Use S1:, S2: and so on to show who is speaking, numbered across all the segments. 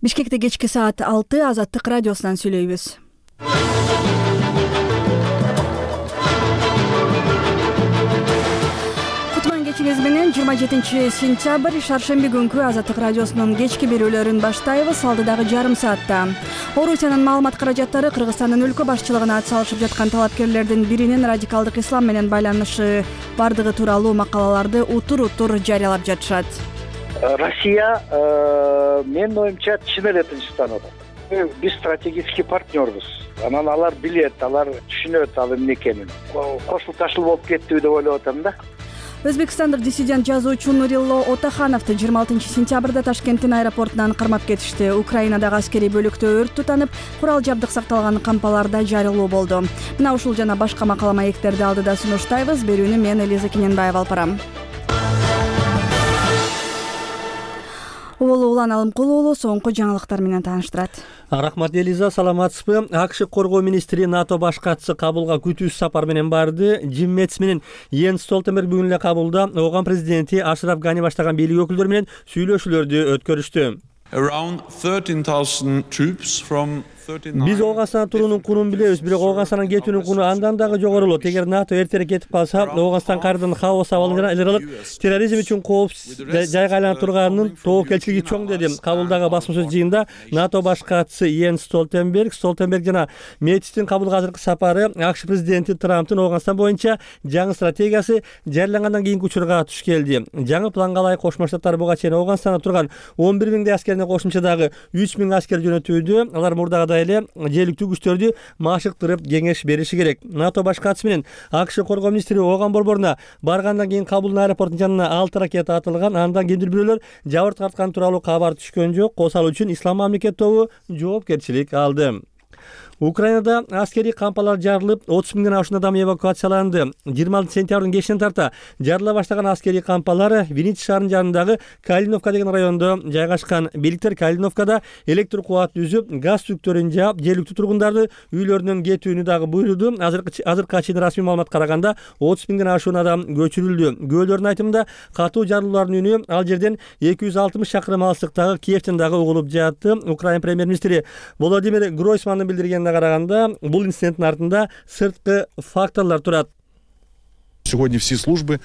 S1: Бишкекте кечки саат 6 Азаттык радиосунан сүйлөйбүз. Кутман кечиңиз менен 27-сентябрь шаршемби күнкү Азаттык радиосунун кечки берүүлөрүн баштайбыз. Алдыдагы жарым саатта Орусиянын маалымат каражаттары Кыргызстандын өлкө башчылыгына ат салышып жаткан талапкерлердин биринин радикалдык ислам менен байланышы бардыгы тууралуу макалаларды утур-утур жарыялап жатышат.
S2: Россия менин оюмча чын эле тынчтанып атат. Биз стратегический партнербуз. Анан алар билет, алар түшүнөт ал эмне экенин. Кошул ташыл болуп кеттиби деп ойлоп атам да.
S1: Өзбекстандык диссидент жазуучу Нурило Отахановду 26-сентябрда Ташкенттин аэропортунан кармап кетишти. Украинадагы аскерий бөлүктө өрт тутанып, курал жабдык сакталган кампаларда жарылуу болду. Мына ушул жана башка макала маектерди алдыда сунуштайбыз. Берүүнү мен Элиза Кененбаева алып барам. Улан Алымкул уулу соңку жаңылыктар менен тааныштырат.
S3: Рахмат Элиза, саламатсызбы? АКШ коргоо министри НАТО баш катчысы Кабулга күтүүсүз сапар менен барды. Джим Мэтс менен Йенс Столтенберг бүгүн эле Кабулда Ооган президенти Ашраф Гани баштаган бийлик өкүлдөрү менен сүйлөшүүлөрдү өткөрүштү. Биз Ооганстандан туруунун кунун билебиз, бирок Ооганстандан кетүүнүн куну андан дагы жогорулот. Эгер НАТО эртерээк кетип калса, Ооганстан кайрадан хаос абалын жана элералык терроризм үчүн коопсуз жайга айланып турганынын тобокелчилиги чоң, деди. Кабулдагы басма сөз жыйынында НАТО баш катчысы Йенс Столтенберг жана Мэтистин Кабулга азыркы сапары АКШ президенти Трамптын Ооганстан боюнча жаңы стратегиясы жарыялангандан кийинки учурга туш келди. Жаңы планга ылайык Кошмо Штаттар буга чейин Ооганстанда турган 11 миңдей аскерине кошумча дагы 3 миң аскер жөнөтүүдө. Алар мурдагы эле желиктүү күчтөрдү машыктырып кеңеш бериши керек. НАТО баш катчысы менен АКШ коргоо министри Ооган борборуна баргандан кийин Кабулдун аэропортунун жанына 6 ракета атылган. Андан кимдир бирөөлөр жабыр тарткан тууралуу кабар түшкөн жок. Косал үчүн Ислам мамлекет тобу жоопкерчилик алды. Украинада аскерий кампалар жарылып, 30 миңден ашуун адам эвакуацияланды. 26-сентябрдын кечинен тарта жарыла баштаган аскерий кампалар Винница шаарынын жанындагы Калиновка деген райондо жайгашкан. Бийликтер Калиновкада электр кубат үзүп, газ түктөрүн жаап, жергиликтүү тургундарды үйлөрүнөн кетүүнү дагы буйруду. Азыркыга чейин расмий маалымат караганда 30 миңден ашуун адам көчүрүлдү. Күбөлөрдүн айтымында катуу жарылуулардын үнү ал жерден 260 чакырым алыстыктагы Киевтен дагы угулуп жатты. Украина премьер-министри Володимир Гройсмандын билдиргенине караганда, бул инциденттин артында сырткы факторлор турат.
S4: Сегодня все службы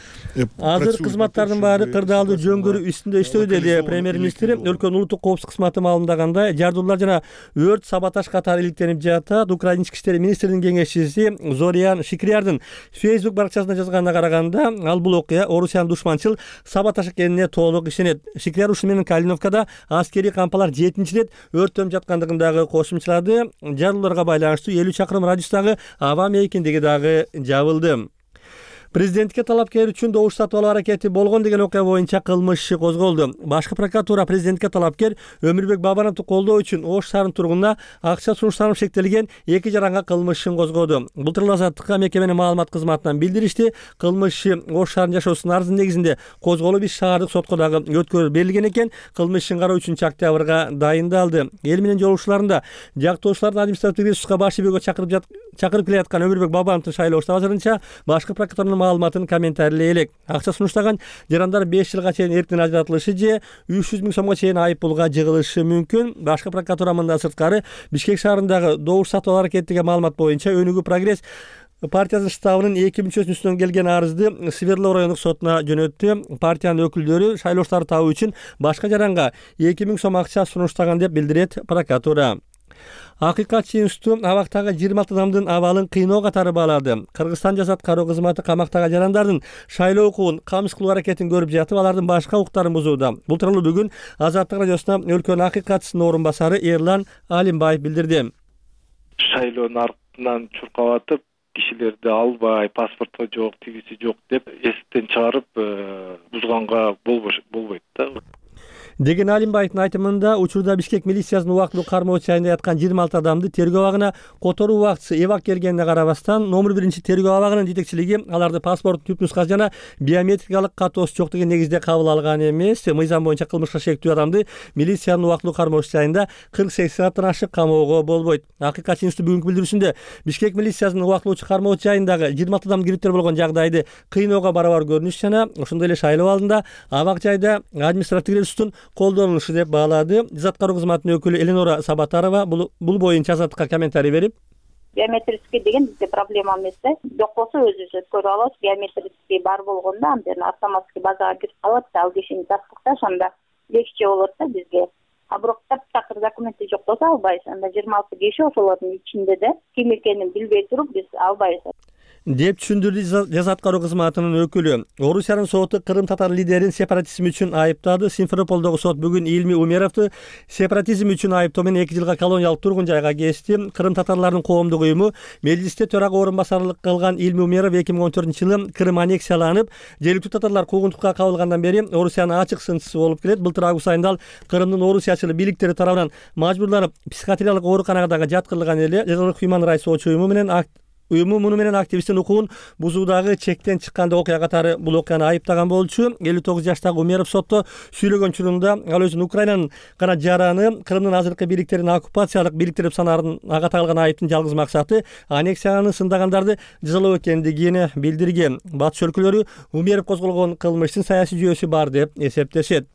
S3: азыр кызматтардын баары кырдаалдуу жөнгөрүү үстүндө иштөө, деди премьер-министр. Өлкөнүн улуттук коопсуздук кызматы маалымдагандай, жардуулар жана өрт саботаж катары иликтенип жатат. Украина ички иштер министринин кеңешчиси Зорян Шикриярдын Facebook баракчасында жазганына караганда, ал бул окуя Орусиянын душманчыл саботаж экенине толук ишенет. Шикрияр ушуну менен Калиновкада аскерий кампалар 7-чи рет өрттөнүп жаткандыгын дагы кошумчалады. Жарылууларга байланыштуу 50 чакырым радиустагы аба мейкиндиги дагы жабылды. Президентке талапкер үчүн добуш сатып алуу аракети болгон деген окуя боюнча кылмыш иши козголду. Башкы прокуратура президентке талапкер Өмүрбек Бабановду колдоо үчүн Ош шаарынын тургунуна акча сунуштанып шектелген 2 жаранга кылмыш ишин козгоду. Былтыр Азаттыкка мекеменин маалымат кызматынан билдиришти. Кылмыш иши Ош шаарынын жашоосунун арызынын негизинде козголуп, иш шаардык сотко дагы өткөрүлүп берилген экен. Кылмыш ишин кароо 3-октябрга дайындалды. Эл менен жолугушууларында жактоочулардын административдик ресурска баш ийүүгө чакырып келе жаткан Өмүрбек Бабановдун шайлоо штабы азырынча башкы прокуратуранын маалыматын комментарийлей элек. Акча сунуштаган жарандар 5 жылга чейин эрктен ажыратылышы же 300 миң сомго чейин айып пулга жыгылышы мүмкүн. Башкы прокуратура мындан сырткары Бишкек шаарындагы добуш сатып алуу аракетиге маалымат боюнча Өнүгүү прогресс партиясынын штабынын 2 мүчөсүнүн үстүнөн келген арызды Свердлов райондук сотуна жөнөттү. Партиянын өкүлдөрү шайлооштарды табуу үчүн башка жаранга 2 миң сом акча сунуштаган деп билдирет прокуратура. Акыйкатчы институту абактагы 26 адамдын абалын кыйноо катары баалады. Кыргызстан жазат кароо кызматы камактагы жарандардын шайлоо укугун камсыз кылуу аракетин көрүп жатып, алардын башка укуктарын бузууда. Бул тууралуу бүгүн Азаттык радиосуна өлкөнүн акыйкатчысынын орун басары Эрлан Алимбаев билдирди.
S5: Шайлоонун артынан чуркап атып, кишилерди албай, паспорту жок, тигиси жок деп эстен чыгарып бузганга болбойт да.
S3: деген Алимбаевдин айтымында, учурда Бишкек милициясынын убактылуу кармоо чайында яткан 26 адамды тергөө абагына которуу убактысы эвак келгенине карабастан, номер 1 тергөө абагынын жетекчилиги аларды паспорттун түп нускасы жана биометрикалык катоосу жок деген негизде кабыл алган эмес. Мыйзам боюнча кылмышка шектүү адамды милициянын убактылуу кармоо чайында 48 сааттан ашык камоого болбойт. Акыйкатчы институту бүгүнкү билдирүүсүндө Бишкек милициясынын убактылуу кармоо чайындагы 26 адам кириптер болгон жагдайды кыйноого барабар көрүнүш жана ошондой эле шайлоо алдында абак жайда административдик ресурстун колдонулушу деп баалады. Жаза аткаруу кызматынын өкүлү Эленора Сабатарова бул боюнча Азаттыкка комментарий берип,
S6: биометрический деген бизде проблема эмес да. Жок болсо өзүбүз өткөрүп алабыз. Биометрический бар болгондо анден автоматский базага кирип калат да, ал кишини тастыкташ, анда легче болот да бизге. А бирок таптакыр документи жок болсо албайбыз. Анда 26 киши ошолордун ичинде да ким экенин билбей туруп биз албайбыз
S3: деп түшүндүрдү жаза аткаруу кызматынын өкүлү. Орусиянын соту Кырым татар лидерин сепаратизм үчүн айыптады. Симферополдогу сот бүгүн Илми Умеровду сепаратизм үчүн айыптоо менен 2 жылга колониялык тургун жайга кести. Кырым татарларынын коомдук уюму межлисте төрага орун басарлык кылган Илми Умеров 2014-жылы Кырым аннексияланып, жергиликтүү татарлар куугунтукка кабылгандан бери Орусиянын ачык сынчысы болуп келет. Былтыр август айында ал Кырымдын орусиячыл бийликтери тарабынан мажбурланып психиатриялык ооруканага жаткырылган эле. Human Rights Watch уюму муну менен активисттин укугун бузуудагы чектен чыккан окуя катары бул окуяны айыптаган болчу. 59 жаштагы Умеров сотто сүйлөгөн учурунда ал өзүн Украинанын гана жараны, Кырымдын азыркы бийликтерин оккупациялык бийликтер деп санаарын ага тагылган айыптын жалгыз максаты аннексияны сындагандарды жазалоо экендигин билдирген. Батыш өлкөлөрү Умеров козголгон кылмыштын саясий жүйөсү бар деп эсептешет.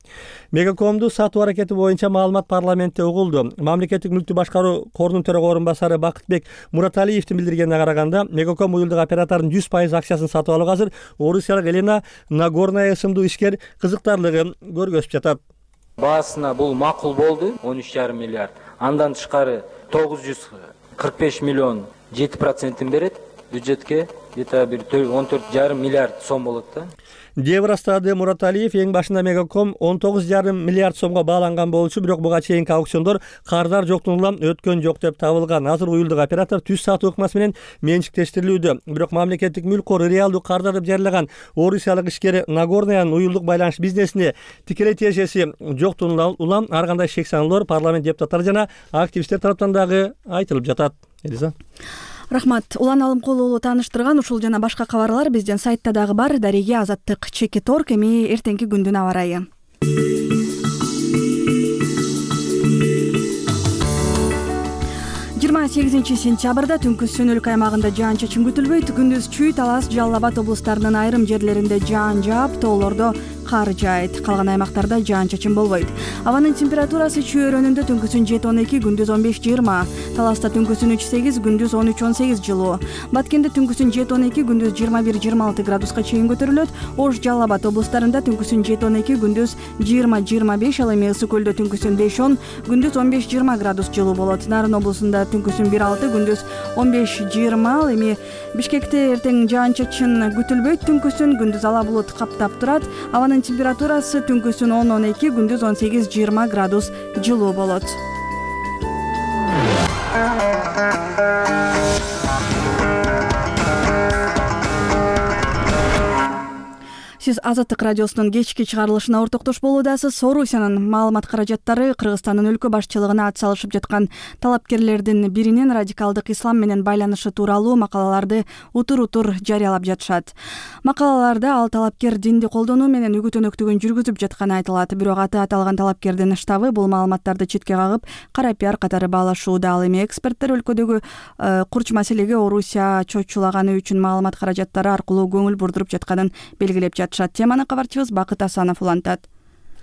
S3: Мегакомду сатуу аракети боюнча маалымат парламентте угулду. Мамлекеттик мүлктү башкаруу корунун төрөгө орун басары Бакытбек Мураталиевдин билдиргенине караганда Мегаком уюлдук оператордун 100% акчасын сатып алууга азыр орусиялык Елена Нагорная ысымдуу ишкер кызыктарлыгын көргөзүп жатат.
S7: Баасына бул макул болду, 13,5 миллиард. Андан тышкары 945 миллион 7% берет бюджетке, где-то бир 14,5 миллиард сом болот да.
S3: деп ырастады Мураталиев. Эң башында Мегаком 19,5 миллиард сомго бааланган болчу, бирок буга чейинки аукциондор кардар жоктун улам өткөн жок деп табылган. Азыр уюлдук оператор түз сатуу ыкмасы менен менчиктештирилүүдө. Бирок мамлекеттик мүлк кору реалдуу кардар деп жарыяган орусиялык ишкер Нагорнаянын уюлдук байланыш бизнесине тикелей тиешеси жоктун улам ар кандай шек саноолор парламент депутаттары жана активисттер тараптан дагы айтылып жатат. Элиза.
S1: Рахмат. Улан Алымкулуулу тааныштырган ушул жана башка кабарлар биздин сайтта дагы бар. Дареге Азаттык /Торг. Эми эртеңки күндүн аба ырайы. 28 сентябрда түнкү Сөнөлүк аймагында жаан-чачын күтүлбөйт. Күндүз Чүй, Талас, Жалал Абад облустарынын айрым жерлеринде жаан жаап, тоолордо кар жаайт. Калган аймактарда жаан-чачын болбойт. Абанын температурасы Чүй өрөөнүндө түнкүсүн 7-12, күндүз 15-20. Таласта түнкүсүн 3-8, күндүз 13-18 жылуу. Баткенде түнкүсүн 7-12, күндүз 21-26 градуска чейин көтөрүлөт. Ош, Жалал Абад облустарында түнкүсүн 7-12, күндүз 20-25, ал эми Ысык көлдө түнкүсүн 5-10, күндүз 15-20 градус жылуу болот. Нарын облусунда түнкүсүн 1-6, күндүз 15-20, ал эми Бишкекте эртең жаан-чачын күтүлбөйт. Түнкүсүн күндүз ала булут каптап турат. Абанын температурасы түнкүсүн 10-12, күндүз 18-20 градус жылуу болот. Сиз Азаттык радиосунун кечки чыгарылышына ортоктош болуудасыз. Орусиянын маалымат каражаттары Кыргызстандын өлкө башчылыгына ат салышып жаткан талапкерлердин биринин радикалдык ислам менен байланышы тууралуу макалаларды утур-утур жарыялап жатышат. Макалаларда ал талапкер динди колдонуу менен үгүт өнөктүгүн жүргүзүп жатканы айтылат. Бирок аты аталган талапкердин штабы бул маалыматтарды четке кагып, кара пиар катары баалашууда. Ал эми эксперттер өлкөдөгү курч маселеге Орусия чочулаганы үчүн маалымат каражаттары аркылуу көңүл бурдуруп жатканын белгилеп жатышат. Теманы кабарчыбыз Бакыт Асанов улантат.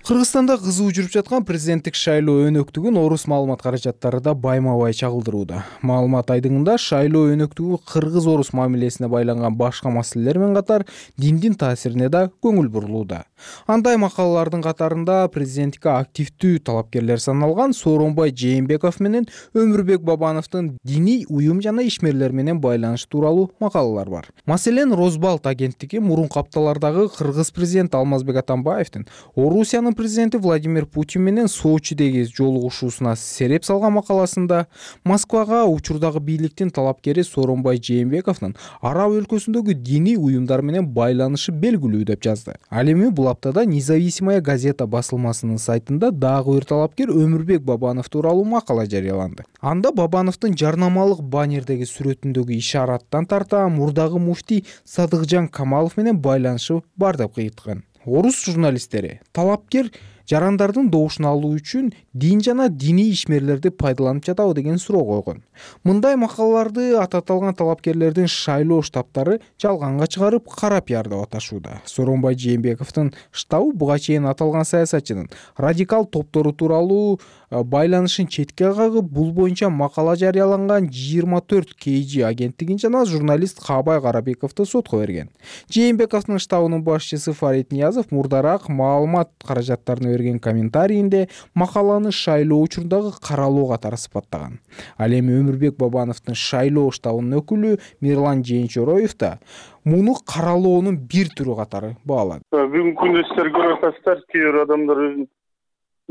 S8: Кыргызстанда кызуу жүрүп жаткан президенттик шайлоо өнөктүгүн орус маалымат каражаттары да байма-бай чагылдырууда. Маалымат айдыңында шайлоо өнөктүгү кыргыз-орус мамилесине байланган башка маселелер менен катар диндин таасирине да көңүл бурулууда. Андай макалалардын катарында президенттикке активдүү талапкерлер саналган Сооронбай Жээнбеков менен Өмүрбек Бабановдун диний уюм жана ишмерлер менен байланышы тууралуу макалалар бар. Маселен, Розбалт агенттиги мурунку апталардагы кыргыз президенти Алмазбек Атамбаевдин Орусиянын президенти Владимир Путин менен Сочидеги жолугушуусуна сереп салган макаласында Москвага учурдагы бийликтин талапкери Сооронбай Жээнбековдун араб өлкөсүндөгү диний уюмдар менен байланышы белгилүү деп жазды. Ал эми бул аптада Независимая газета басылмасынын сайтында дагы бир талапкер Өмүрбек Бабанов тууралуу макала жарыяланды. Анда Бабановдун жарнамалык баннердеги сүрөтүндөгү ишараттан тарта мурдагы муфтий Садыкжан Камалов менен байланышы бар деп кыйыткан. Орус журналисттери талапкер жарандардын добушун алуу үчүн дин жана диний ишмерлерди пайдаланып жатабы деген суроо койгон. Мындай макалаларды аталган талапкерлердин шайлоо штабтары жалганга чыгарып, кара пиар деп аташууда. Сооронбай Жээнбековдун штабы буга чейин аталган саясатчынын радикал топтору тууралуу байланышын четке кагып, бул боюнча макала жарыяланган 24 KG агенттигин жана журналист Каабай Карабековду сотко берген. Жээнбековдун штабынын башчысы Фарид Ниязов мурдараак маалымат каражаттарына берген комментарийинде макаланы шайлоо учурундагы каралоо катары сыпаттаган. Ал эми Өмүрбек Бабановдун шайлоо штабынын өкүлү Мирлан Жээнчороев да муну каралоонун бир түрү катары баалады.
S9: Бүгүнкү күндө сиздер көрүп атасыздар, кээ бир адамдар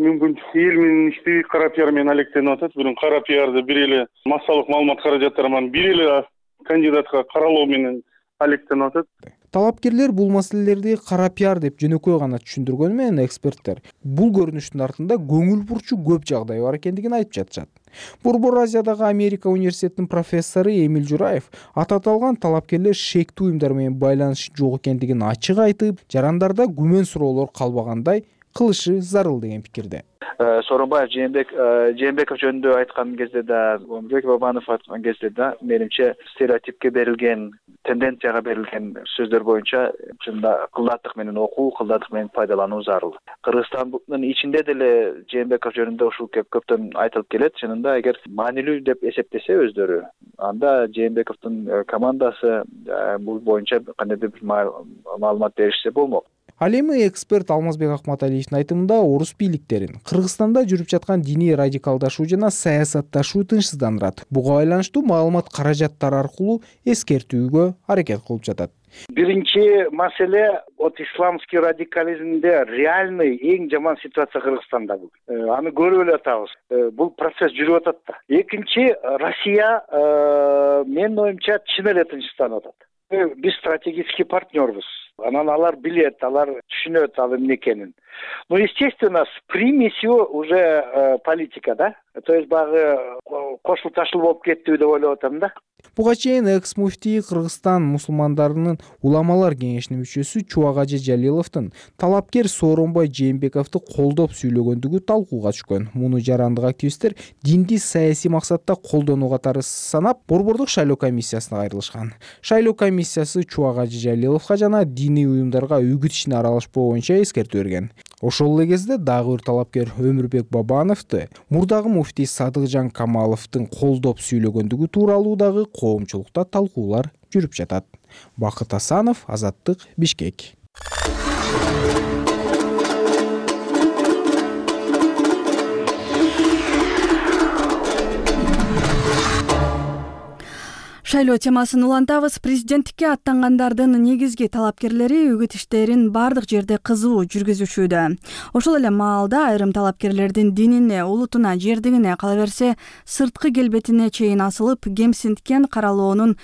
S9: мүмкүн эл менен иштебей кара пиар менен алектенип атат. Бирок кара пиарды бир эле массалык маалымат каражаттары менен бир эле кандидатка каралоо менен алектенип атат.
S8: Талапкерлер бул маселелерди кара пиар деп жөнөкөй гана түшүндүргөнү менен эксперттер бул көрүнүштүн артында көңүл бурчу көп жагдай бар экендигин айтып жатышат. Борбор Азиядагы Америка университетинин профессору Эмиль Жураев аталган талапкерлер шектүү уюмдар менен байланышы жок экендигин ачык айтып, жарандарда күмөн суроолор калбагандай кылышы зарыл деген пикирде.
S10: Сооронбаев Жээнбеков жөнүндө айткан кезде да, Өмүрбек Бабанов айткан кезде да, менимче стереотипке берилген, тенденцияга берилген сөздөр боюнча чында кылдаттык менен окуу, кылдаттык менен пайдалануу зарыл. Кыргызстандын ичинде деле Жээнбеков жөнүндө ушул көптөн айтылып келет. Чынында эгер маанилүү деп эсептесе өздөрү, анда Жээнбековдун командасы бул боюнча кандайдыр бир маалымат беришсе болмок.
S8: Ал эми эксперт Алмазбек Акматалиевдин айтымында орус бийликтерин Кыргызстанда жүрүп жаткан диний радикалдашуу жана саясатташуу тынчсыздандырат. Буга байланыштуу маалымат каражаттары аркылуу эскертүүгө аракет кылып жатат.
S2: Биринчи маселе исламский радикализмде реальный эң жаман ситуация Кыргызстанда бул. Аны көрүп эле атабыз. Бул процесс жүрүп атат да. Экинчи, Россия менин оюмча чын эле тынчсызданып атат. Биз стратегический партнербуз. Анан алар билет, алар түшүнөт ал эмне экенин. Ну, естественно, с примесью уже политика, да? То есть багы кошул ташыл болуп кеттиби деп ойлоп атам да.
S8: Буга чейин экс-муфтий Кыргызстан мусулмандарынын уламалар кеңешинин мүчөсү Чубагажы Жалиловдун талапкер Сооронбай Жээнбековду колдоп сүйлөгөндүгү талкууга түшкөн. Муну жарандык активисттер динди саясий максатта колдонуу катары санап, Борбордук шайлоо комиссиясына кайрылышкан. Шайлоо комиссиясы Чубагажы Жалиловго жана диний уюмдарга үгүт ишине аралашпоо боюнча эскертүү берген. Ошол эле кезде дагы бир талапкер Өмүрбек Бабановду мурдагы муфтий Садыкжан Камаловдун колдоп сүйлөгөндүгү тууралуу дагы коомчулукта талкуулар жүрүп жатат. Бакыт Асанов, Азаттык, Бишкек.
S1: Шайлоо темасын улантабыз. Президенттикке аттангандардын негизги талапкерлери үгүт иштерин бардык жерде кызуу жүргүзүшүүдө. Ошол эле маалда айрым талапкерлердин динине, улутуна, жердигине, кала берсе сырткы келбетине чейин асылып, кемсинткен каралоонун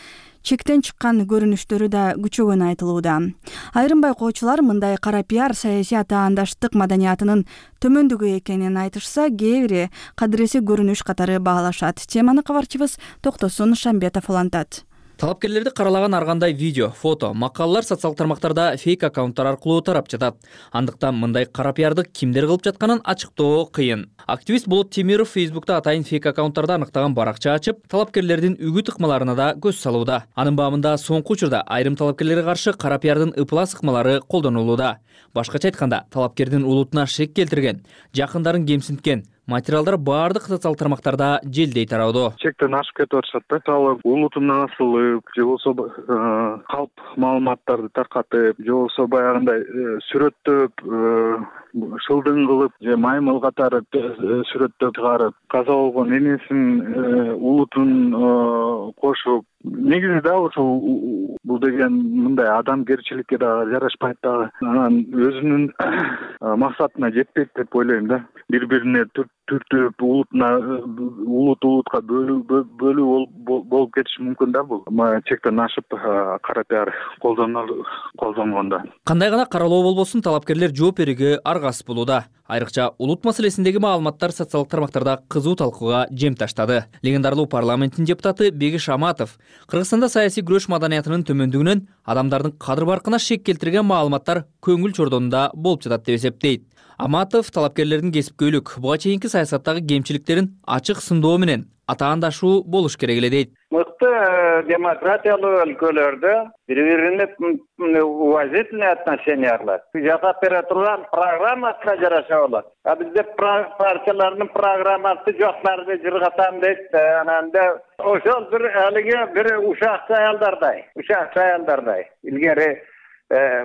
S1: чектен чыккан көрүнүштөрү да күчөгөнү айтылууда. Айрым байкоочулар мындай кара пиар саясий атаандаштык маданиятынын төмөндүгү экенин айтышса, кээ бири кадыреси көрүнүш катары баалашат. Теманы кабарчыбыз Токтосун Шамбетов улантат.
S11: Талапкерлерди каралаган ар кандай видео, фото, макалалар социалдык тармактарда фейк аккаунттар аркылуу тарап жатат. Андыктан мындай кара пиарды кимдер кылып жатканын ачыктоо кыйын. Активист Болот Темиров Фейсбукта атайын фейк аккаунттарды аныктаган баракча ачып, талапкерлердин үгүт ыкмаларына да көз салууда. Анын баамында соңку учурда айрым талапкерлерге каршы кара пиардын ыплас ыкмалары колдонулууда. Башкача айтканда, талапкердин улутуна шек келтирген, жакындарын кемсинткен материалдар баардык социалдык тармактарда желдей тараудо.
S9: Чектен ашып кетип атышат да. Мисалы, улутуна асылып, же болбосо калп маалыматтарды таркатып, же болбосо баягындай сүрөттөп, шылдың кылып, же маймыл катары сүрөттөп чыгарып, каза болгон энесин улутун кошуп, негизи да ошол бул деген мындай адамгерчиликке да жарашпайт да. Анан өзүнүн максатына жетпейт деп ойлойм да. Бири-бирине түртүп, улутка бөлүү болуп кетиши мүмкүн да бул. Чектен ашып кара пиар колдонгондо.
S11: Кандай гана каралоо болбосун, талапкерлер жооп берүүгө аргасыз болууда. Айрыкча улут маселесиндеги маалыматтар социалдык тармактарда кызуу талкууга жем таштады. Легендарлуу парламенттин депутаты Бегиш Аматов Кыргызстанда саясий күрөш маданиятынын төмөндүгүнөн адамдардын кадыр баркына шек келтирген маалыматтар көңүл чордонунда болуп жатат деп эсептейт. Аматов талапкерлердин кесипкөйлүк, буга чейинки саясаттагы кемчиликтерин ачык сындоо менен атаандашуу болуш керек эле дейт.
S12: Мыкты демократиялуу өлкөлөрдө бири-бирине уважительный отношениялар жасап бере турган программасына жараша болот. А бизде партиялардын программасы жоктарды жыргатам дейт. Ананда ошол бир алыгы бир ушакчы аялдардай. Илгери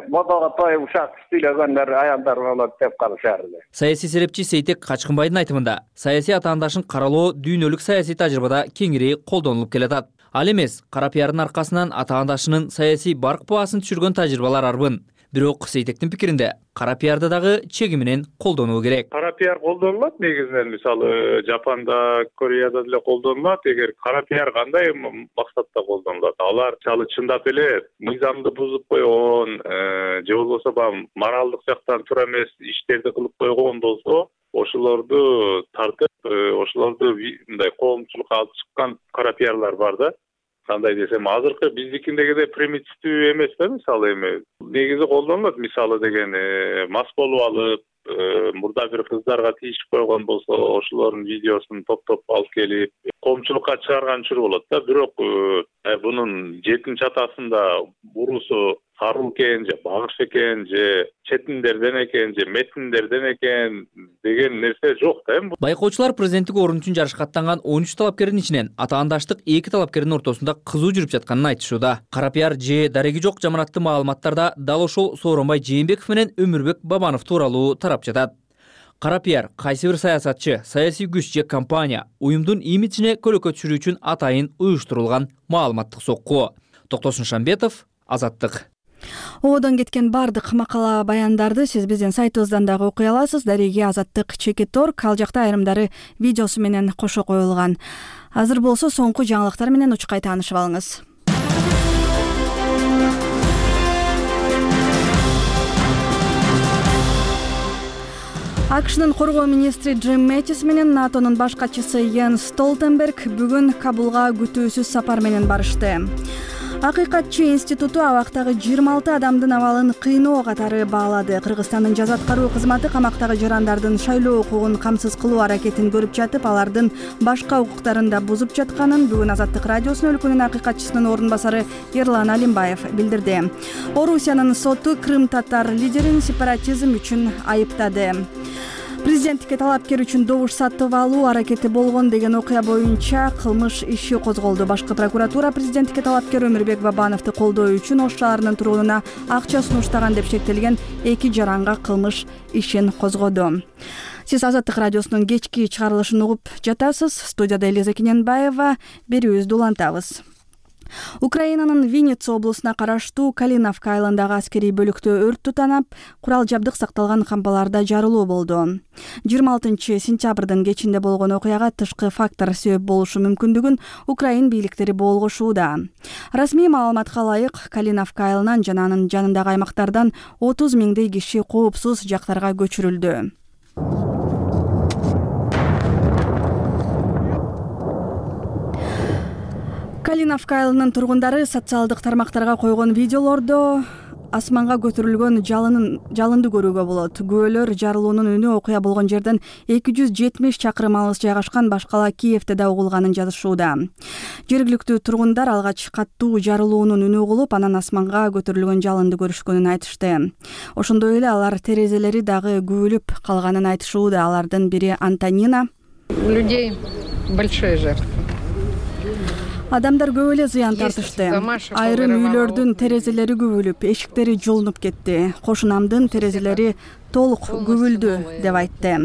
S12: модого той ушак сүйлөгөндөр аялдар болот деп калышар эле.
S11: Саясий серепчи Сейтек Качкынбайдын айтымында, саясий атаандашын каралоо дүйнөлүк саясий тажрыйбада кеңири колдонулуп келатат. Ал эмес, кара пиардын аркасынан атаандашынын саясий барк баасын түшүргөн тажрыйбалар арбын. Бирок Сейтектин пикиринде, кара пиарды дагы чеги менен колдонуу керек.
S13: Кара пиар колдонулат негизинен, мисалы Жапанда, Кореяда деле колдонулат. Эгер кара пиар кандай максатта колдонулат? Алар чалы чындап эле мыйзамды бузуп койгон, же болбосо моралдык жактан туура эмес иштерди кылып койгон болсо, ошолорду тартып, ошолорду мындай коомчулукка алып чыккан кара пиарлар бар да. Кандай десем, азыркы биздикиндегидей примитивдүү эмес да, мисалы эми негизи колдонулат, мисалы деген мас болуп алып, мурда бир кыздарга тийишип койгон болсо, ошолордун видеосун топтоп алып келип коомчулукка чыгарган учур болот да. Бирок бунун жетинчи атасында бурусу сарыл экен, же багыш экен, же четиндерден экен, же метиндерден экен деген нерсе жок да.
S11: Байкоочулар президенттик орун үчүн жарышка аттанган 13 талапкердин ичинен атаандаштык 2 талапкердин ортосунда кызуу жүрүп жатканын айтышууда. Кара пиар же дареги жок жаманатты маалыматтарда дал ошол Сооронбай Жээнбеков менен Өмүрбек Бабанов тууралуу тарап жатат. Кара пиар кайсы бир саясатчы, саясий күч же компания уюмдун имиджине көлөкө түшүрүү үчүн атайын уюштурулган маалыматтык сокку. Токтосун Шамбетов, Азаттык.
S1: Одон кеткен бардык макала баяндарды сиз биздин сайтыбыздан дагы окуй аласыз. Дареги Азаттык /org, ал жакта айрымдары видеосу менен кошо коюлган. Азыр болсо соңку жаңылыктар менен учкай таанышып алыңыз. АКШнын коргоо министри Джим Мэттис менен НАТОнун баш катчысы Йенс Столтенберг бүгүн Кабулга күтүүсүз сапар менен барышты. Акыйкатчы институту абактагы 26 адамдын абалын кыйноо катары баалады. Кыргызстандын жаза аткаруу кызматы камактагы жарандардын шайлоо укугун камсыз кылуу аракетин көрүп жатып, алардын башка укуктарын да бузуп жатканын бүгүн Азаттык радиосунун өлкөнүн акыйкатчысынын орун басары Эрлан Алимбаев билдирди. Орусиянын соту крым-татар лидерин сепаратизм үчүн айыптады. Президенттикке талапкер үчүн добуш сатып алуу аракети болгон деген окуя боюнча кылмыш иши козголду. Башкы прокуратура президенттикке талапкер Өмүрбек Бабановду колдоо үчүн Ош шаарынын тургунуна акча сунуштаган деп шектелген 2 жаранга кылмыш ишин козгоду. Сиз Азаттык радиосунун кечки чыгарылышын угуп жатасыз. Студияда Элиза Кененбаева, берүүбүздү улантабыз. Украинанын Винница облусуна караштуу Калиновка айылындагы аскерий бөлүктө өрт тутанып, курал жабдык сакталган кампаларда жарылуу болду. 26 сентябрдын кечинде болгон окуяга тышкы фактор себеп болушу мүмкүндүгүн Украин бийликтери болгошууда. Расмий маалыматка ылайык, Калиновка айылынан жана анын жанындагы аймактардан 30 миңдей киши коопсуз жактарга көчүрүлдү. Калиновка айылынын тургундары социалдык тармактарга койгон видеолордо асманга көтөрүлгөн жалынды көрүүгө болот. Күбөлөр жарылуунун үнү окуя болгон жерден 270 чакырым алыс жайгашкан башкала Киевде да угулганын жазышууда. Жергиликтүү тургундар алгач каттуу жарылуунун үнү угулуп, анан асманга көтөрүлгөн жалынды көрүшкөнүн айтышты. Ошондой эле алар терезелери дагы күбөлүп калганын айтышууда. Алардын бири Антонина.
S14: У людей большие жертвы.
S1: Адамдар көп эле зыян тартышты. Айрым үйлөрдүн терезелери күбөлүп, эшиктери жолунуп кетти. Кошунамдын терезелери толук күбүлдү деп айтты.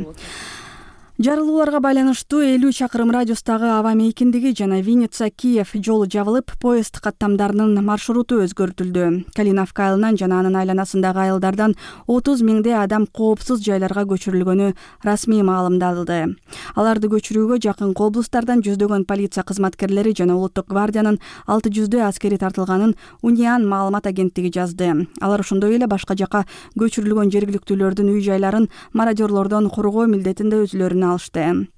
S1: Жарылууларга байланыштуу 50 чакырым радиустагы аба мейкиндиги жана Винница-Киев жолу жабылып, поезд каттамдарынын маршруту өзгөртүлдү. Калиновка айылынан жана анын айланасындагы айылдардан 30 миңдей адам коопсуз жайларга көчүрүлгөнү расмий маалымдалды. Аларды көчүрүүгө жакын облустардан жүздөгөн полиция кызматкерлери жана Улуттук гвардиянын 600 аскери тартылганын Униан маалымат агенттиги жазды. Алар ошондой эле башка жака көчүрүлгөн жергиликтүүлөрдүн үй-жайларын мародёрлордон коргоо милдетинде өзүлөрүнө алышты.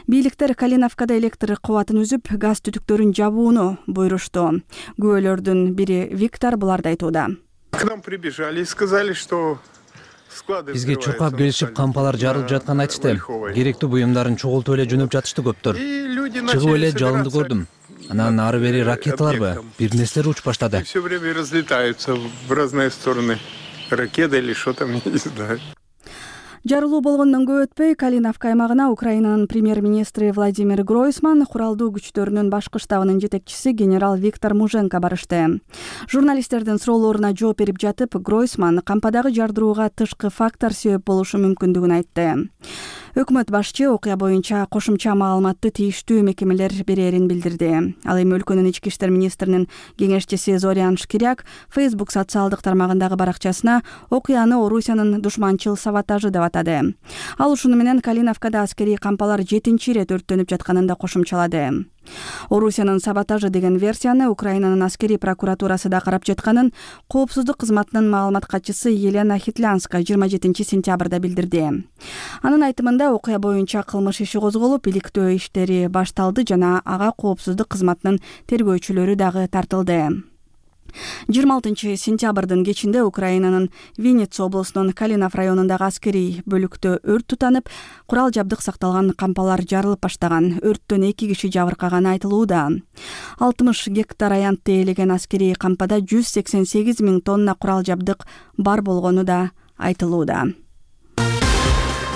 S1: Бийликтер Калиновкада электр кубатын үзүп, газ түтүктөрүн жабууну буйрушту. Күбөлөрдүн бири Виктор буларды айтууда.
S15: К нам прибежали и сказали, что Бизге чуркап келишип, кампалар жарылып жатканын айтышты. Керектүү буюмдарын чогултуп эле жөнөп жатышты көптөр. Чыгып эле жалынды көрдүм. Анан ары бери ракеталарбы, бир нерселер учуп баштады.
S16: Все время разлетаются в разные стороны. Ракета или что там, я не знаю.
S1: Жарылуу болгондон көп өтпөй Калиновка аймагына Украинанын премьер-министри Владимир Гройсман, куралдуу күчтөрүнүн башкы штабынын жетекчиси генерал Виктор Муженко барышты. Журналисттердин суроолоруна жооп берип жатып, Гройсман кампадагы жардырууга тышкы фактор себеп болушу мүмкүндүгүн айтты. Өкмөт башчы окуя боюнча кошумча маалыматты тийиштүү мекемелер берерин билдирди. Ал эми өлкөнүн ички иштер министринин кеңешчиси Зорян Шкиряк Facebook социалдык тармагындагы баракчасына окуяны Орусиянын душманчыл саботажы деп атады. Ал ушуну менен Калиновкада аскерий кампалар 7-чи ирет өрттөнүп жатканын да кошумчалады. Орусиянын саботажы деген версияны Украинанын аскерий прокуратурасы да карап жатканын Коопсуздук кызматынын маалымат катчысы Елена Хитлянска 27-сентябрда билдирди. Анын айтымында окуя боюнча кылмыш иши козголуп, иликтөө иштери башталды жана ага Коопсуздук кызматынын тергөөчүлөрү дагы тартылды. 26-сентябрдын кечинде Украинанын Винница облусунун Калинов районундагы аскерий бөлүктө өрт тутанып, курал жабдык сакталган кампалар жарылып баштаган. Өрттөн 2 киши жабыркаганы айтылууда. 60 гектар аянтты ээлеген аскерий кампада 188 000 тонна курал жабдык бар болгону да айтылууда.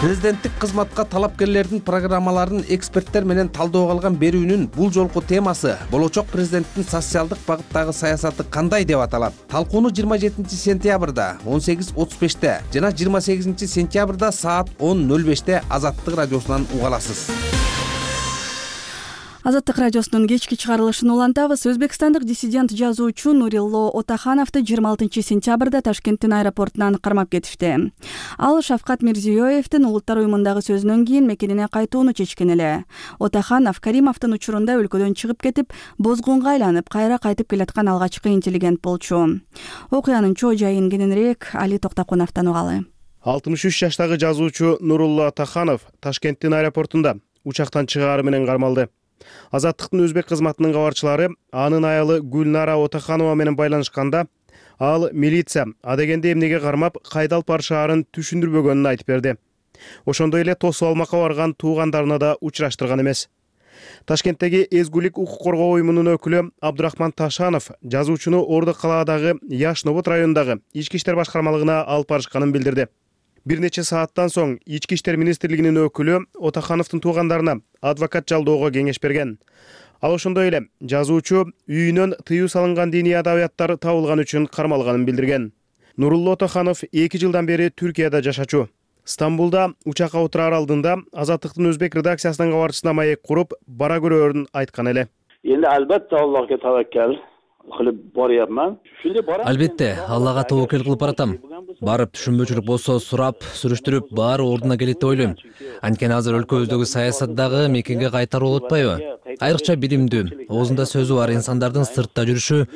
S17: Президенттик кызматка талапкерлердин программаларын эксперттер менен талдоого алган берүүнүн бул жолку темасы болочок президенттин социалдык багыттагы саясаты кандай деп аталат. Талкууну 27-сентябрда 18:35 жана 28-сентябрда саат 10:05 Азаттык радиосунан уга аласыз.
S1: Азаттык радиосунун кечки чыгарылышын улантабыз. Өзбекстандык диссидент жазуучу Нурилло Отахановду 26-сентябрда Ташкенттин аэропортунан кармап кетишти. Ал Шавкат Мирзиёевдин улуттар уюмундагы сөзүнөн кийин мекенине кайтууну чечкен эле. Отаханов Каримовдун учурунда өлкөдөн чыгып кетип, бозгунга айланып, кайра кайтып келаткан алгачкы интеллигент болчу. Окуянын чоо жайын кененирээк Али Токтокуновдон угалы.
S18: 63 жаштагы жазуучу Нурулло Отаханов Ташкенттин аэропортунда учактан чыгаары менен кармалды. Азаттыктын өзбек кызматынын кабарчылары анын аялы Гүлнара Отаханова менен байланышканда, ал милиция адегенде эмнеге кармап, кайда алып барышаарын түшүндүрбөгөнүн айтып берди. Ошондой эле тосуп алмакка барган туугандарына да учураштырган эмес. Ташкенттеги Эзгулик укук коргоо уюмунун өкүлү Абдурахман Ташанов жазуучуну Орду калаадагы Яшнобод районундагы ички иштер башкармалыгына алып барышканын билдирди. Бир нече сааттан соң ички иштер министрлигинин өкүлү Отахановдун туугандарына адвокат жалдоого кеңеш берген. Ал ошондой эле жазуучу үйүнөн тыюу салынган диний адабияттар табылган үчүн кармалганын билдирген. Нурулло Отаханов 2 жылдан бери Түркияда жашачу. Стамбулда учакка отурар алдында Азаттыктын өзбек редакциясынын кабарчысына маек куруп, бара көрөөрүн айткан эле.
S19: Эndi albatta Allohga tavakkal qilib boryapman.
S15: Албетте, Аллага тобокел кылып баратам. Барып түшүнбөчүлүк болсо сурап, сүрүштүрүп, баары ордуна келет деп ойлойм. Анткени азыр өлкөбүздөгү саясаттагы мекенге кайтаруу болуп атпайбы? Айрыкча билимдүү, оозунда сөзү бар инсандардын сыртта жүрүшү,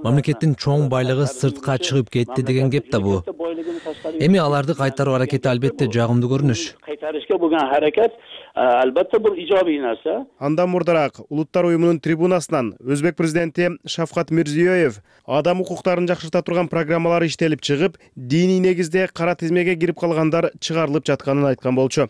S15: мамлекеттин чоң байлыгы сыртка чыгып кетти деген кеп да бу. Эми аларды кайтаруу аракети албетте жагымдуу көрүнүш.
S19: Кайтарышка болгон харакат albatta bir ijobiy narsa.
S18: Андан мурдараак улуттар уюмунун трибунасынан өзбек президенти Шавкат Мирзиёев адам укуктарын жакшырта турган программалар иштелип чыгып, диний негизде кара тизмеге кирип калгандар чыгарылып жатканын айткан болчу.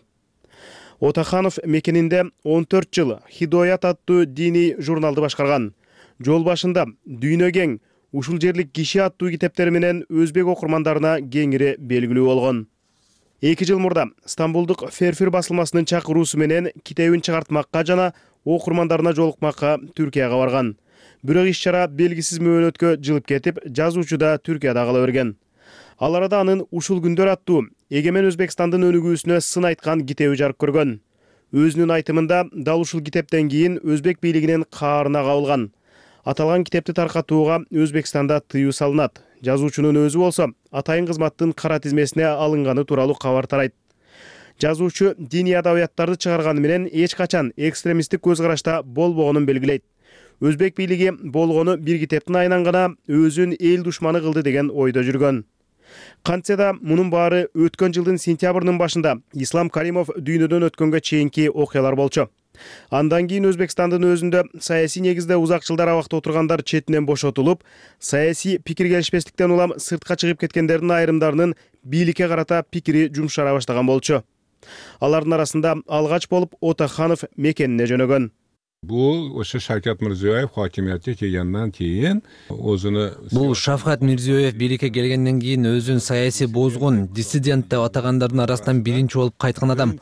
S18: Отаханов мекенинде 14 жыл Хидоят аттуу диний журналды башкарган. Жол башында Дүйнө кең, ушул жерлик киши аттуу китептери менен өзбек окурмандарына кеңири белгилүү болгон. 2 жыл мурда Стамбулдук Ферфир басылмасынын чакыруусу менен китебин чыгартмакка жана окурмандарына жолукмакка Түркияга барган. Бирок иш-чара белгисиз мөөнөткө жылып кетип, жазуучу да Түркияда кала берген. Ал арада анын ушул күндөр аттуу Эгемен Өзбекстандын өнүгүүсүнө сын айткан китеби жарык көргөн. Өзүнүн айтымында дал ушул китептен кийин өзбек бийлигинин каарына кабылган. Аталган китепти таркатууга Өзбекстанда тыюу салынат. Жазуучунун өзү болсо атайын кызматтын кара тизмесине алынганы тууралуу кабар тарайт. Жазуучу диний адабияттарды чыгарганы менен эч качан экстремисттик көз карашта болбогонун белгилейт. Өзбек бийлиги болгону бир китептин айынан гана өзүн эл душманы кылды деген ойдо жүргөн. Кантсе да мунун баары өткөн жылдын сентябрынын башында Ислам Каримов дүйнөдөн өткөнгө чейинки окуялар болчу. Андан кийин Өзбекстандын өзүндө саясий негизде узак жылдар абакта отургандар четинен бошотулуп, саясий пикир келишпестиктен улам сыртка чыгып кеткендердин айрымдарынын бийликке карата пикири жумшара баштаган болчу. Алардын арасында алгач болуп Отаханов мекенине жөнөгөн.
S20: Бул ошо Шавкат Мирзиёев хакимиятка келгенден кийин
S15: Бул Шавкат Мирзиёев бийликке келгенден кийин өзүн саясий бозгун, диссидент деп атагандардын арасынан биринчи болуп кайткан адам.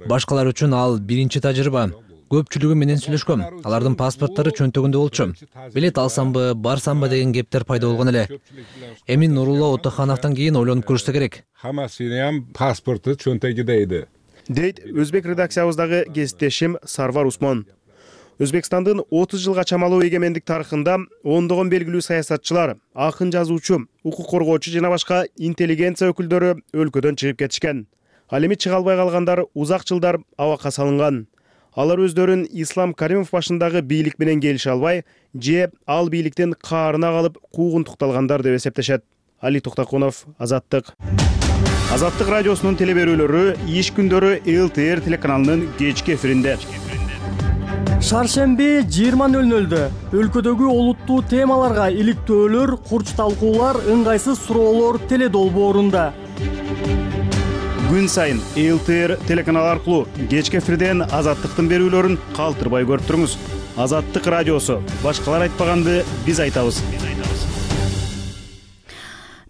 S15: Башкалар үчүн ал биринчи тажрыйба. Көпчүлүгү менен сүйлөшкөм. Алардын паспорттору чөнтөгүндө болчу. Билет алсамбы, барсамбы деген кептер пайда болгон эле. Эми Нурулла Отахановдон кийин ойлонуп көрүшсө керек.
S20: Хамасынын паспорту чөнтөгүдө эди.
S18: Дейт өзбек редакциябыздагы кесиптешим Сарвар Усмон. Өзбекстандын 30 жылга чамалуу эгемендик тарыхында ондогон белгилүү саясатчылар, акын жазуучу, укук коргоочу жана башка интеллигенция өкүлдөрү өлкөдөн чыгып кетишкен. Ал эми чыга албай калгандар узак жылдар абакка салынган. Алар өздөрүн Ислам Каримов башындагы бийлик менен келише албай, же ал бийликтин каарына калып куугунтукталгандар деп эсептешет. Али Токтакунов, Азаттык. Азаттык радиосунун телеберүүлөрү иш күндөрү ЛТР телеканалынын кечки эфиринде.
S21: Шаршемби 20:00 өлкөдөгү олуттуу темаларга иликтөөлөр, курч талкуулар, ыңгайсыз суроолор теледолбоорунда.
S18: Күн сайын ЛТР телеканалы аркылуу кечки эфирден Азаттыктын берүүлөрүн калтырбай көрүп туруңуз. Азаттык радиосу. Башкалар айтпаганды биз айтабыз.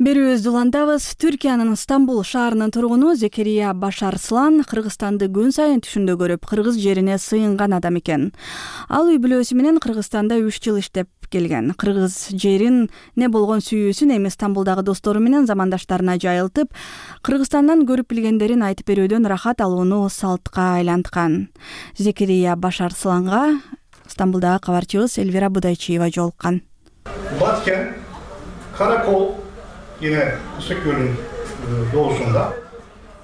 S1: Берүүбүздү улантабыз. Түркиянын Стамбул шаарынын тургуну Зекерия Башарслан Кыргызстанды күн сайын түшүндө көрүп, кыргыз жерине сыйынган адам экен. Ал үй бүлөсү менен Кыргызстанда 3 жыл иштеп келген. Кыргыз жерин не болгон сүйүүсүн эми Стамбулдагы достору менен замандаштарына жайылтып, Кыргызстандан көрүп билгендерин айтып берүүдөн рахат алууну салтка айланткан. Зекерия Башарсланга Стамбулдагы кабарчыбыз Элвира Будайчиева жолуккан.
S22: Баткен, Каракол yine Isıkgöl'ün doğusunda.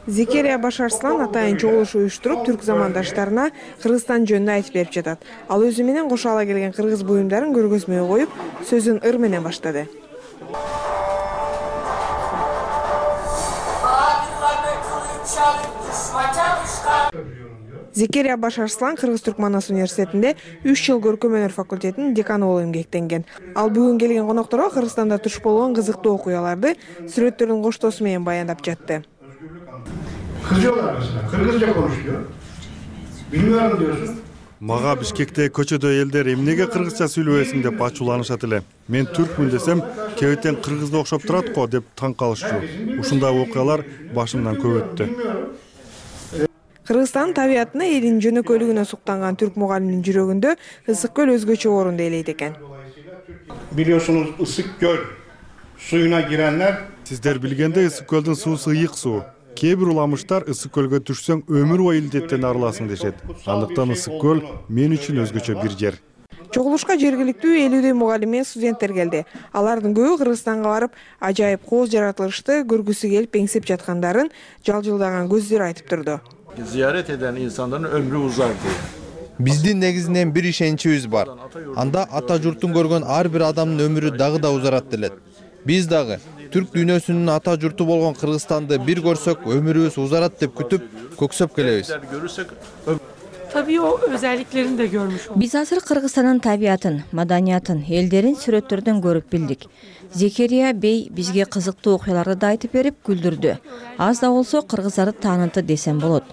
S23: Зекерия Башарслан атайын чогулуш уюштуруп, түрк замандаштарына Кыргызстан жөнүндө айтып берип жатат. Ал өзү менен кошо ала келген кыргыз буюмдарын көргөзмөгө коюп, сөзүн ыр менен баштады. Зекерия Башарслан Кыргыз-Түрк Манас университетинде 3 жыл көркөм өнөр факультетинин деканы болуп эмгектенген. Ал бүгүн келген конокторго Кыргызстанда туш болгон кызыктуу окуяларды сүрөттөрдүн коштоосу менен баяндап жатты.
S22: Kızıyorlar mesela. Kırgızca konuşuyor. Bilmiyorum diyorsun.
S24: Мага Бишкекте көчөдө элдер эмнеге кыргызча сүйлөбөсүң деп ачууланышат эле. Мен түркмүн десем, кебетен кыргызга окшоп турат го деп таң калышчу. Ушундай окуялар башымдан көп өттү.
S23: Кыргызстандын табиятына, элинин жөнөкөйлүгүнө суктанган түрк мугалимдин жүрөгүндө Ысык-Көл өзгөчө орунду ээлейт экен.
S22: Biliyorsunuz Isıkgöl suyuna girenler.
S24: Сиздер билгендей, Ысык-Көлдүн суусу ыйык суу. Кээ бир уламыштар Ысык-Көлгө түшсөң өмүр бою илдеттен арыласың дешет. Андыктан Ысык-Көл мен үчүн өзгөчө бир жер.
S23: Чогулушка жергиликтүү 50 мугалим менен студенттер келди. Алардын көбү Кыргызстанга барып, ажайып кооз жаратылышты көргүсү келип эңсеп жаткандарын жалжылдаган көздөр айтып турду.
S25: Ziyaret eden insanların ömrü uzar diye.
S26: Биздин негизинен бир ишеничибиз бар. Анда ата журтун көргөн ар бир адамдын өмүрү дагы да узарат делет. Биз дагы түрк дүйнөсүнүн ата журту болгон Кыргызстанды бир көрсөк, өмүрүбүз узарат деп күтүп, көксөп келебиз.
S27: Tabii o özelliklerini de görmüş olduk.
S28: Биз азыр Кыргызстандын табиятын, маданиятын, элдерин сүрөттөрдөн көрүп билдик. Зекерия бей бизге кызыктуу окуяларды да айтып берип күлдүрдү. Аз да болсо кыргыздарды таанытты десем болот.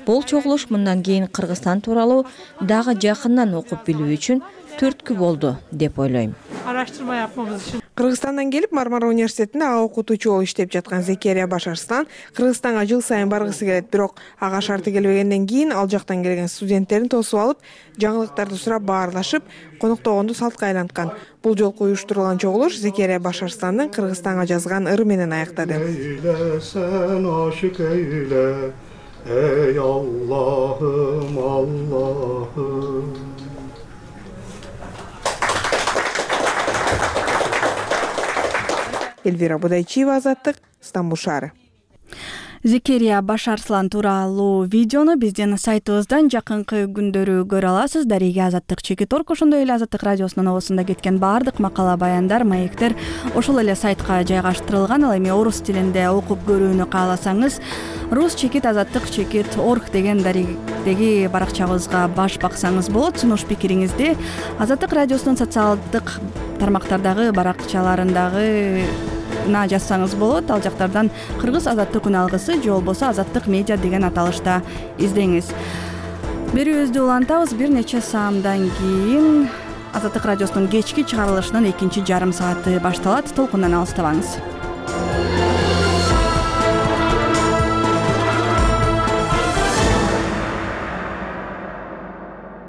S28: Бул чогулуш мындан кийин Кыргызстан тууралуу дагы жакындан окуп билүү үчүн түрткү болду деп ойлойм.
S27: Araştırma yapmamız için.
S23: Кыргызстандан келип Мармара университетинде окутуучу болуп иштеп жаткан Зекерия Башарслан Кыргызстанга жыл сайын баргысы келет, бирок ага шарты келбегенден кийин ал жактан келген студенттерин тосуп алып, жаңылыктарды сурап баарлашып, коноктогонду салтка айланткан. Бул жолку уюштурулган чогулуш Зекерия Башарсландын Кыргызстанга жазган ыры менен аяктады. Ey Allah'ım Allah'ım. Эльвира Будайчиева, Азаттык, Стамбул шаары.
S1: Зекерия Башарслан тууралуу видеону биздин сайтыбыздан жакынкы күндөрү көрө аласыз. Дарига Азаттык Чекит.org, ошондой эле Азаттык радиосунун обосунда кеткен баардык макала, баяндар, маектер ошол эле сайтка жайгаштырылган. Ал эми орус тилинде окуп көрүүнү кааласаңыз, Рус Чекит Азаттык Чекит.org деген Даригдеги баракчабызга баш баксаңыз болот. Сунуш пикириңизди Азаттык радиосунун социалдык тармактардагы баракчаларындагы жазсаңыз болот. Ал жактардан Кыргыз азаттык күн алгысы же болбосо Азаттык медиа деген аталышта издеңиз. Берүүбүздү улантабыз. Бир нече саамдан кийин Азаттык радиосунун кечки чыгарылышынын экинчи жарым сааты башталат. Толкундан алыстабаңыз.